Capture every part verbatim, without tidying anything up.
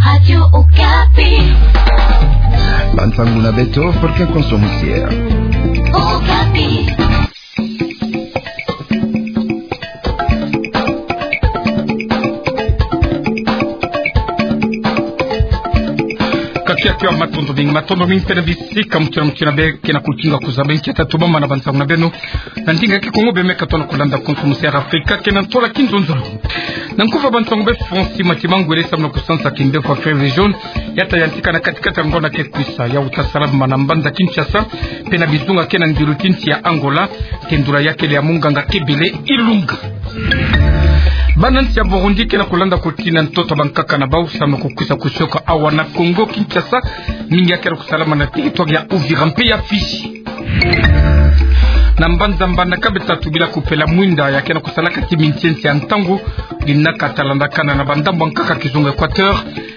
Radio Okapi. Bansangu na beto, porque konso musia. Okapi. Kakia kia matondo mingi, matondo mingi mpe na bisika muti na muti na bê, kena kutinga kuzaba nkia tatu bamana bansangu na beno. Na ndinga Kikongo bê meka tona kulanda konso musia Afrika, kena ntola kinzonzolo. Na nkufa bansangu bê Francis Mati, mangwele samu na kusansa kimbevo ya fièvre jaune, ya ta yantika na kati-kati ya ngonda ke kwisa, ya uta sala bamana mbanza Kinshasa, mpe na bizunga kena ndilu ti nsi ya Angola, tendula ya kele ya munganga Kebele Ilunga. Bana nsi ya Burundi kena kulanda kutina ntoto bankaka na bau samu na kukwisa kusioka awa na Kongo Kinshasa, mingi ya kena kusalama na territoire ya Uvira mpe ya Fidji. Na mbanza Mbandaka beta tubila kupela mwinda ya kena kusalaka ti mintiensi ya ntangu, dina kata landakana na bandambu ankaka kizunga Equateur,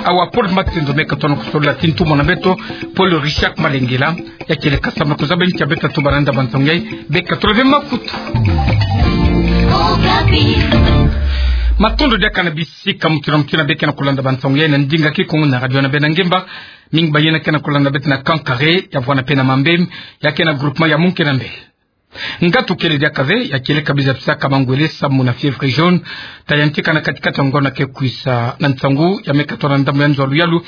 awa Paul Matendo meka tona kusolola ti ntumwa na beto, Paul Richard Malengela, ya kele kasa na kuzaba nkia beta tubana nda bansangu yai, beka tula ve makutu. Matondo diaka na bisika muti na muti na bê kena kulanda bansangu yai na ndinga Kikongo na radio na bê na ngemba, mingi bayina kena kulanda beto na Kankare, ya vwana mpe na Mambem, ya kena groupement ya Munkenambele. Ngatu kele diaka ve, ya kele kabisa bisaka mangwele samu na fièvre jaune, ta yantika na kati-kati ya ngonda ke kwisa na nsangu, ya meka tona ndambu ya nzo ya luyalu,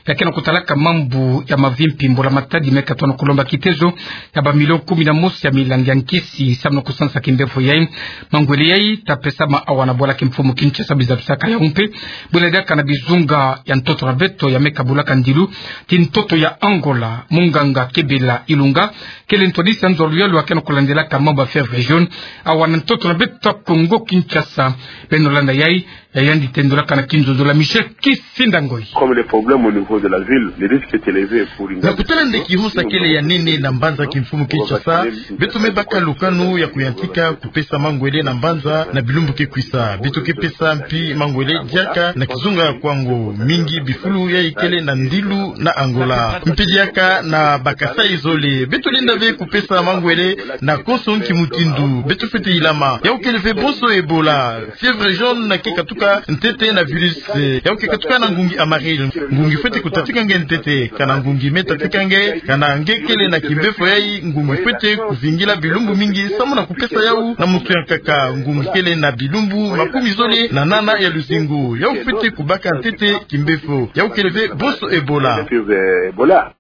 ya kena kutalaka mambu ya mavimpi, mbula matadi meka tona kulomba kitezo ya ba million kumi na mosi ya milangi ya nkisi, samu na kusansa kimbevo yai. Mangwele yai, ta pesama awa na bwala kimfumu Kinshasa, biza bisaka yau mpe, bwela diaka na bizunga ya ntoto na beto, ya meka bulaka ndilu ti ntoto ya Angola, munganga Kebele Ilunga, kele ntwadisi ya nzo ya luyalu ya kena kulandelaka mambu ya fièvre jaune, awa na ntoto na beto Kongo Kinshasa. Beno landa yai, ya yandi tendulaka na kinzonzolo na Michel Kisinda Ngoyi. Comme les problèmes au niveau de la ville, le risque est élevé pour une... Na kutala nde kihunsa kele ya nene na mbanza kimfumu Kinshasa, beto me baka lukanu ya kuyantika kupesa mangwele na mbanza na bilumbu ke kwisa. Beto ke pesa mpi mangwele diaka na kizunga ya Kwango, mingi bifulu yai kele na ndilu na Angola. Mpi diaka na ba Kasaï zole. Beto lenda ve kupesa mangwele na konso nki mutindu. Beto fwete ilama. Yau kele ve bonso Ebola. Fièvre jaune na ke katuka ntete na virus. Yau ke katuka na ngungi amarelo. Ngungi fwete kutatika nge ntete. Kana ngungi me tatika nge, kana nge kele na kimbevo yai, ngungi fwete kuvingila bilumbu mingi, samu na kupesa yau na muntu ya nkaka. Ngungi kele na bilumbu makumi zole na nana ya luzingu. Yau fwete kubaka ntete kimbevo. Yau kele ve bonso Ebola. Ebola.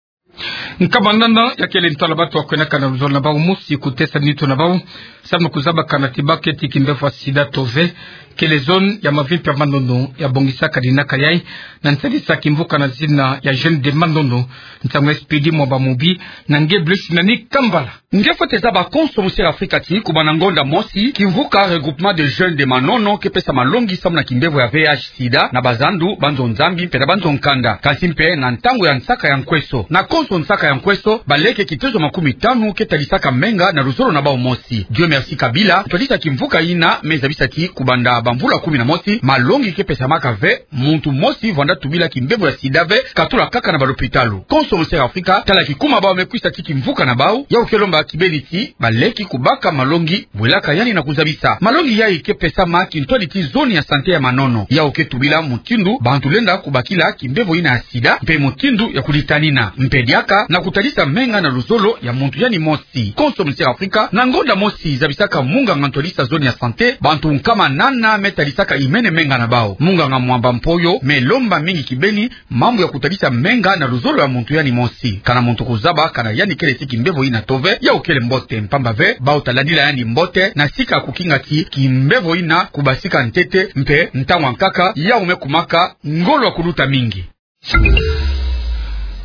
Nkama nana ya kele ntwala batu ya kwenaka na luzolo na bau mosi kutesa nitu na bau, samu na kuzabakana ti baketi kimbevo ya sida to ve, kele zone ya mavimpi ya manono ya bongisaka dinaka yai, na nsadisa kimvuka na zina ya Jeunes de Manono. Nsangu ya Expédit Mwamba Mubi, na nge Blaise Nani Kambala. Nge fwete zaba konso musi ya Afrika ti, kubanda ngonda mosi, kimvuka Regroupement des Jeunes de Manono ke pesa malongi samu na kimbevo ya V I H sida na bazandu, banzo nzambi, mpe na banzo nkanda. Kansi mpe na ntangu ya nsaka ya nkweso. Na konso nsaka ya nkweso, baleke kitezo makumi tanu ke tadisaka menga na luzolo na bau mosi. Dieu merci Kabila, ntwadisi ya kimvuka yina, me zabisa ti kubanda bamvula kumi na mosi, malongi ke pesamaka ve muntu mosi vwanda tubila kimbevo ya sida ve, katula kaka na balopitalo. Konso musi ya Afrika, tala kikuma bau me kwisa ti kimvuka na bau, yau ke lomba kibeni ti baleki kubaka malongi, bwelaka yandi na kuzabisa. Malongi yai ke pesama kintwadi ti zone ya santé ya Manono. Yau ke tubila mutindu bantu lenda kubakila kimbevo yina ya sida, mpe mutindu ya kulitanina. Mpe diaka na kutadisa menga na luzolo ya muntu yandi mosi. Konso musi ya Afrika, na ngonda mosi zabisaka munganga ntwadisi ya zone ya santé, bantu nkama nana me tadisaka imene menga na bau. Munganga Mwamba Mpoyo me lomba mingi kibeni mambu ya kutadisa menga na luzolo ya muntu yandi mosi. Kana muntu kuzaba kana yandi kele ti kimbevo yina to ve, yau kele mbote, mpamba ve bau ta landila yandi mbote, na sika kukinga ti kimbevo yina kubasika ntete, mpe ntangu ya nkaka yau me kumaka ngolo ya kuluta mingi.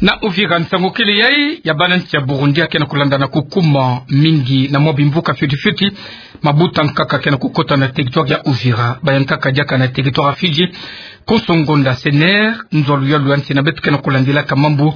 Na Uvira, nsangu kele yai ya bana nsi ya Burundi ya kena kulanda na kukuma mingi na mwa bimvuka fioti fioti, mabuta nkaka kena kukota na territoire ya Uvira, ba ya nkaka diaka na territoire ya Fidji. Konso ngonda, CNR, nzo ya luyalu ya nsi na beto kena kulandilaka mambu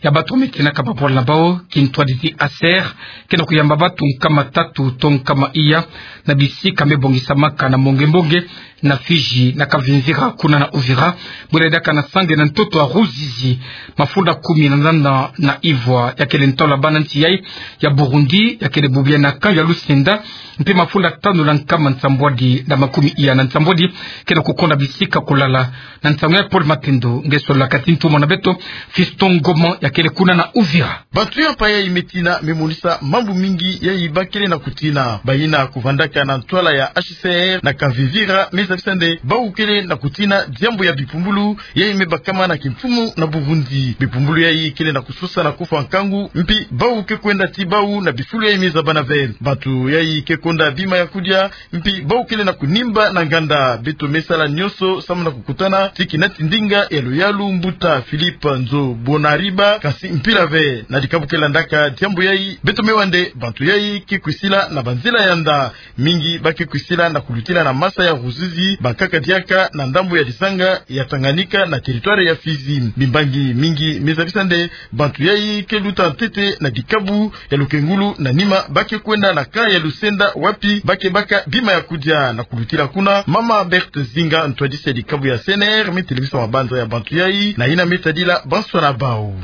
ya batu me tinaka babwala na bau, kintwadi ti ASER, kena kuyamba batu nkama tatu to nkama iya na bisika me bongisamaka na mbongi mbongi, na Fidji, na Kavimvira, kuna na Uvira, bwela diaka na sang'e na ntoto a Ruzizi, mafunda kumi na nana na ivwa, ya kele ntwala bana nsi yayi ya Burundi, ya kele bubu ya na camp ya Lusenda, mpe mafunda tanu na nkama nsambwadi na makumi iya na nsambwadi, ke na kukonda bisika kulala. Na nsangu ya Paul Matendo, nge solola kati ntumwa na beto, Fiston Ngoma, ya kele kuna na Uvira. Bantu ya mpaya yayi me tina, me monisa mambu mingi yayi ba kele na kutina. Bayina kuvandaka na ntwala ya H C R na Kavimvira, me zabisa nde bawu kele na kutina diambu ya bipumbulu yayi me bakama na kimfumu na Burundi. Bipumbulu yayi kele na kusosa na kufwa nkangu, mpi bawu ke kwenda ti bawu na bifulu yayi me zabana ve. Bantu yayi ke konda bima ya kudia, mpi bawu kele na kunimba na nganda. Beto me sala nyonso samu na kukutana ti kinati ndinga ya luyalu mbuta Philippe Nzo Bonariba, kasi mpila ve. Na dikabu ke landaka diambu yayi, beto me wa nde bantu yayi ke kwisila na banzila ya nda. Mingi ba ke kwisila na kulutila na masa ya Ruzizi, bankaka diaka na ndambu ya dizanga ya Tanganyika na territoire ya Fidji. Bimbangi mingi me zabisa nde bantu yayi ke luta ntete na dikabu ya lukengulu, na nima ba ke kwenda na camp ya Lusenda, wapi ba ke baka bima ya kudia. Na kulutila kuna, mama Berthe Zinga, ntwadisi ya dikabu ya C N R, me telebisa mabanza ya bantu yayi, na yina me tadila bansoni na bawu.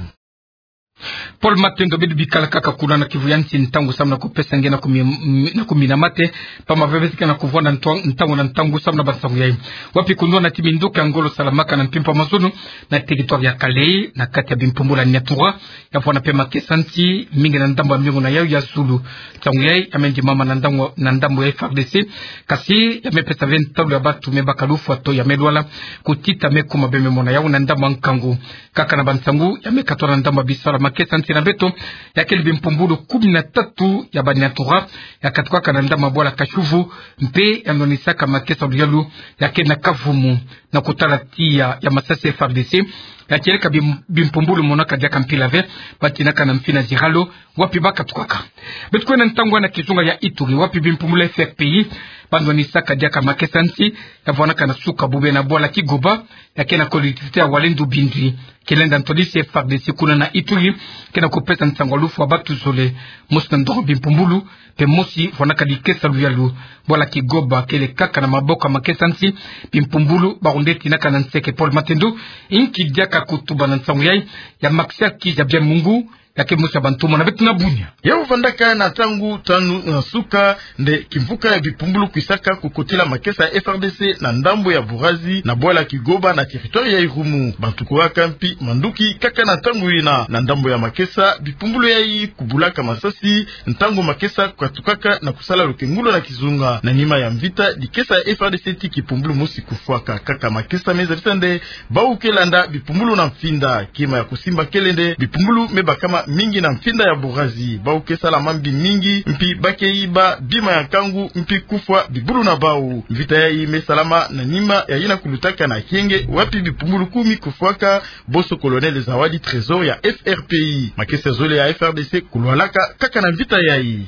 Paul Matendo, beto bikala kaka kuna na kivu ya nsi ntangu samu na kupesa nge na kumi, na kumi na mate, pamba ve beto ke na kuvwanda ntwa-, ntangu na ntangu samu na bansangu yayi. Wapi kundwa na ti minduki ya ngolo salamaka na mpimpa mazono, na territoire ya Kallé, na kati ya bimpumbulu ya Niatura, ya vwanda mpe makesa nsi mingi na ndambu ya miongo na yawu ya zulu. Nsangu yayi ya me ndimama na ndambu, na ndambu ya F R D C, kasi ya me pesa ve ntalu ya bantu me baka lufwa to ya me lwala, kutita me kuma be me mona yawu na ndambu ya nkangu. Kaka na bansangu ya me katwa na ndambu ya bisalu ya makesa nsi na beto, ya kele bimpumbulu kumi na tatu ya ba Niatura ya katukaka na ndambu ya bwala Kashuvu, mpe ya ndwanisaka makesa luyalu ya kele na Kavumu. Na kutala tiya ya masasi F R D C, ya kieleka bim-, bimpumbulu monaka diaka mpila ve, ba tinaka na Mfina Ziralo, wapi ba katukaka. Beto kwenda ntangu na kizunga ya Ituri, wapi bimpumbulu ya F R P I ba ndwanisaka diaka makesa nsi, ya vwanaka na suka bubu na bwala Kigoba, ya kele na collectivité ya Walendu Bindwi. Kilenda ntwadisi F R D C kuna na Ituri, ke na kupesa nsangu ya lufwa bantu zole, mosi na ndongo bimpumbulu, mpe mosi vwanaka dikesa luyalu. Bwala Kigoba kele kaka na maboko ya makesa nsi, bimpumbulu ba rundeti na kana nseke. Paul Matendo, inki diaka kutuba na nsangu yayi ya Maxia Kizabia Mungu, ya ke mosi ya bantumwa na beto na Bunia. Yawu vandaka na ntangu tanu na suka, nde kimvuka ya bipumbulu kwisaka kukotila makesa ya F R D C na ndambu ya Burazi, na bwala Kigoba na territoire ya Irumu. Bantu kuwaka mpi manduki kaka na ntangu yina. Na ndambu ya makesa, bipumbulu yayi kubulaka masasi ntangu makesa katukaka na kusala lukengulu na kizunga. Na nima ya mvita, dikesa ya F R D C ti kipumbulu mosi kufwaka. Kaka makesa me zabisa nde bawu ke landa bipumbulu na mfinda. Kima ya kusimba kele nde bipumbulu me bakama mingi na mfinda ya Burazi. Bawu ke sala mambi mingi, mpi ba ke yiba bima ya nkangu, mpi kufwa bibulu na bawu. Mvita yayi me salama na nima ya yina kulutaka na Kienge, wapi bipumbulu kumi kufwaka, bonso Colonel Zawadi Trésor ya F R P I. Makesa zole ya F R D C kulwalaka kaka na mvita yayi.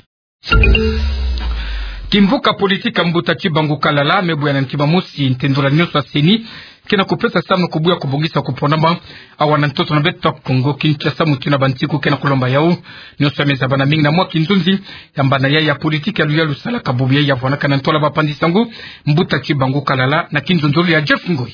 Kimvuka politique ya mbuta Tshibangu Kalala me buya na ntima mosi ntendula nyonso ya CENI ke na kupesa samu na kubuya kubongisa kuponama awa na ntoto na beto Kongo Kinshasa, mutindu bansiku ke na kulomba yawu. Nyonso ya me zabana mingi na mwa kinzonzi ya mbana yayi ya politique ya luyalu salaka bubu yayi ya vwanaka na ntwala bapanzi-nsangu, mbuta Tshibangu Kalala, na kinzonzolo ya Jeff Ngoi.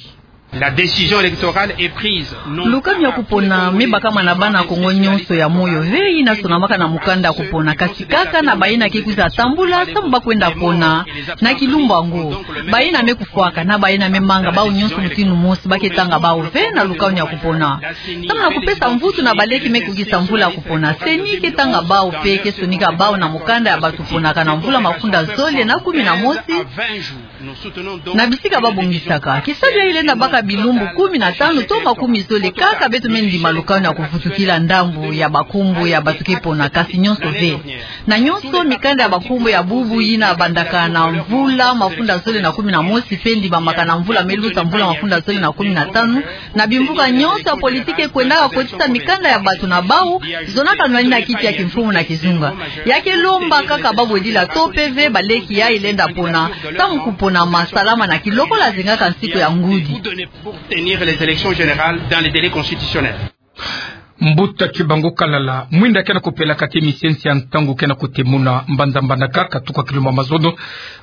La décision électorale est prise. Lukanu ya kupona me bakama na bana Kongo nyonso ya moyo ve yina sonamaka na mukanda ya kupona, kasi kaka na bayina ke kwiza tambula samu ba kwenda pona na kilumbu yango. Bayina me kufwaka na bayina me manga bawu nyonso mutindu mosi, ba ke tanga bawu ve na lukanu ya kupona. Samu na kupesa mvutu na baleki me kukisa mvula ya kupona, CENI ke tanga bawu mpe ke sonika bawu na mukanda ya bato ponaka na mvula mafunda zole na kumi na mosi na bisika ba bongisaka. Kisalu yayi lenda baka bilumbu kumi na tanu to makumi zole kaka. Beto me ndima lukanu ya kuvutukila ndambu ya bankumbu ya bato ke pona, kasi nyonso ve. Na nyonso mikanda ya bankumbu ya bubu yina bandaka na mvula mafunda zole na kumi na mosi mpe ndimamaka na mvula me luta, mvula mafunda zole na kumi na tanu, na bimvuka nyonso ya politique kwendaka kotisa mikanda ya bato na bawu, zonaka nwani na kiti ya kimfumu na kizunga. Ya ke lomba kaka ba bwedila to P V, baleki yayi lenda pona ntangu kupona masalama na kilokola zengaka nsiku ya ngudi. Pour tenir les élections générales dans les délais constitutionnels. Mbuta Tshibangu Kalala, mwinda ke na kupela kati misiensi ya ntangu ke na kutemuna mbanza mbandaka katuka kilumbu ya mazono.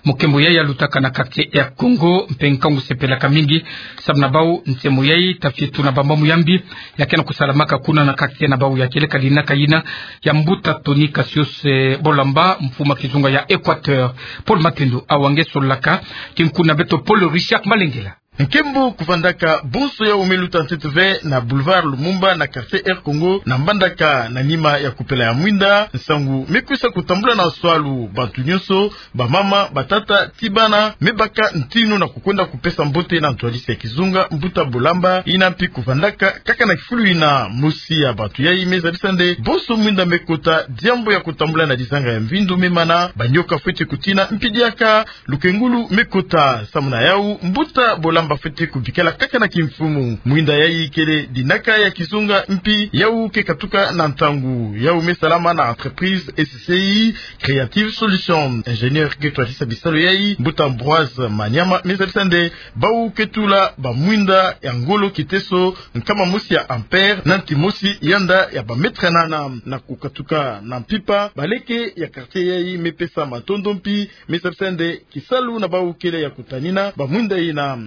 Mukembo yayi alutaka na quartier Air Congo, mpe nkangu sepelaka mingi, sababu na bau nsemo yayi ta fie tuna bamambu ya mbi ya ke na kusalamaka kuna na quartier na bau. Ya kieleka dinaka yina ya Mbuta Tony Cassius, eh, Bolamba, mfumu a kizunga ya Equateur. Paul Matendo awa nge sololaka, kinkundu na beto Paul Richard Malengela. Nkembo kuvandaka bonso yau me luta ntete ve na boulevard Lumumba na quartier Air Congo na mbandaka na nima ya kupela ya mwinda. Nsangu me kwisa kutambula na swalu bantu nyonso, bamama, batata, ti bana, me baka ntinu na kukwenda kupesa mbote na ntwadisi ya kizunga Mbuta Bolamba. Yina mpi kuvandaka kaka na kifulu yina. Mosi ya bantu yayi me zabisa nde bonso mwinda me kota, diambu ya kutambula na dizanga ya mvindu me mana, banyoka fwete kutina, mpi diaka lukengulu me kota. Samu na yau, Mbuta Bolamba fwete kubikala kaka na kimfumu. Mwinda yayi kele dinaka ya kizunga, mpi yau ke katuka na ntangu. Yau me salama na entreprise S C I Creative Solutions. Ingénieur ke twadisa bisalu yayi, Mbuta Ambroise Maniama, me zabisa nde bau ke tula bamwinda ya ngolo kiteso nkama mosi ya ampère na nti mosi yanda ya bamètre nana. Na kukatuka na mpimpa, baleke ya quartier yayi me pesa matondo mpi me zabisa nde kisalu na bau kele ya kutanina bamwinda yina.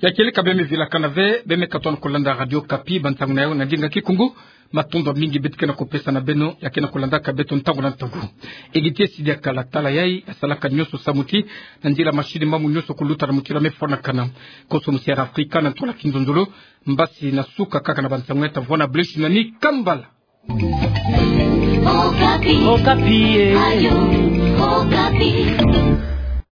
Ya kieleka beno me vilakana ve, beno me katona kulanda Radio Okapi, bantangu na yau na ndinga kikungu. Matondo mingi beto ke na kupesa na beno ya ke na kulandaka beto ntangu na ntangu. Egide Sidiakala tala yayi asalaka nyonso samu ti na nzila machine mamu nyonso kuluta na mutila me fwanakana. Konso musi ya Afrika na ntola kinzonzolo, mbasi na suka kaka na bantangu ya ta vwanda bleshi na ni kambala. Okapi. Okapi, eh. Ayo, Okapi.